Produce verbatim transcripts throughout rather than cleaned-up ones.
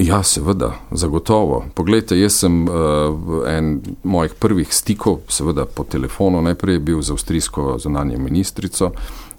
Ja, seveda, zagotovo. Poglejte, jaz sem uh, en mojih prvih stikov, seveda po telefonu najprej bil z avstrijsko zunanjo ministrico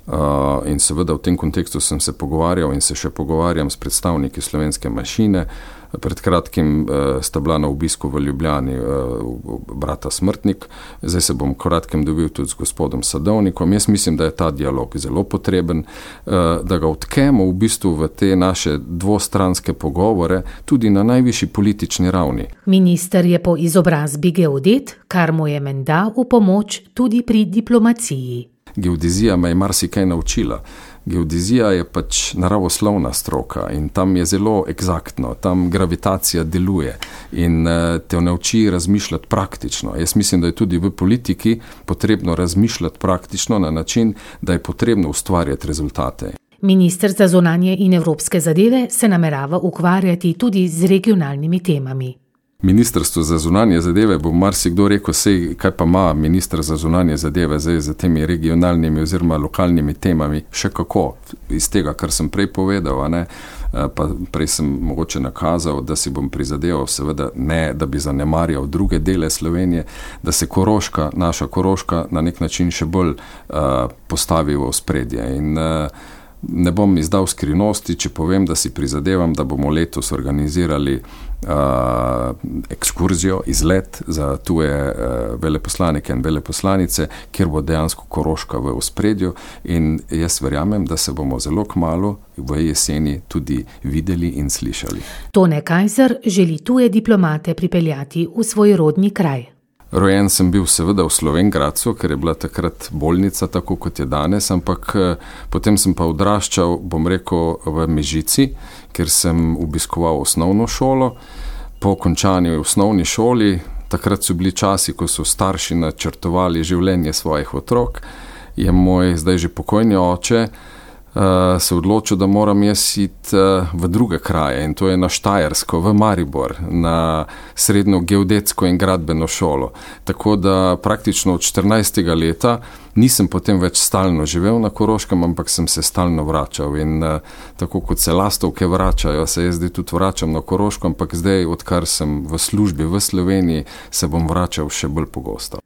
uh, in seveda v tem kontekstu sem se pogovarjal in se še pogovarjam s predstavniki slovenske manjšine. Pred kratkim uh, sta bila na obisku v Ljubljani uh, brata Smrtnik, zdaj se bom kratkem dobil tudi z gospodom Sadovnikom. Jaz mislim, da je ta dialog zelo potreben, uh, da ga odkemo v bistvu v te naše dvostranske pogovore tudi na najvišji politični ravni. Minister je po izobrazbi geodet, kar mu je menda v pomoč tudi pri diplomaciji. Geodezija me je marsikaj naučila. Geodezija je pač naravoslovna stroka in tam je zelo eksaktno, tam gravitacija deluje in te nauči razmišljati praktično. Jaz mislim, da je tudi v politiki potrebno razmišljati praktično na način, da je potrebno ustvarjati rezultate. Minister za zunanje in evropske zadeve se namerava ukvarjati tudi z regionalnimi temami. Ministrstvo za zunanje zadeve, bo marsikdo rekel, sej, kaj pa ima minister za zunanje zadeve zdaj za temi regionalnimi oziroma lokalnimi temami, še kako, iz tega, kar sem prej povedal, a ne, pa prej sem mogoče nakazal, da si bom prizadeval, seveda ne, da bi zanemarjal druge dele Slovenije, da se Koroška, naša Koroška na nek način še bolj uh, postavi v ospredje in uh, ne bom izdal skrivnosti, če povem, da si prizadevam, da bomo letos organizirali uh, ekskurzijo, izlet za tuje uh, veleposlanike in veleposlanice, kjer bo dejansko Koroška v ospredju in jaz verjamem, da se bomo zelo kmalu v jeseni tudi videli in slišali. Tone Kajzer želi tuje diplomate pripeljati v svoj rodni kraj. Rojen sem bil seveda v Slovenj Gradcu, ker je bila takrat bolnica tako, kot je danes, ampak potem sem pa odraščal, bom rekel, v Mežici, ker sem obiskoval osnovno šolo. Po končanju v osnovni šoli, takrat so bili časi, ko so starši načrtovali življenje svojih otrok, je moj zdaj že pokojni oče Uh, se odločil, da moram jaz iti uh, v druge kraje in to je na Štajersko, v Maribor, na srednjo geodetsko in gradbeno šolo. Tako da praktično od štirinajstega leta nisem potem več stalno živel na Koroškem, ampak sem se stalno vračal in uh, tako kot se lastovke vračajo, se jaz zdaj tudi vračam na Koroško, ampak zdaj, odkar sem v službi v Sloveniji, se bom vračal še bolj pogosto.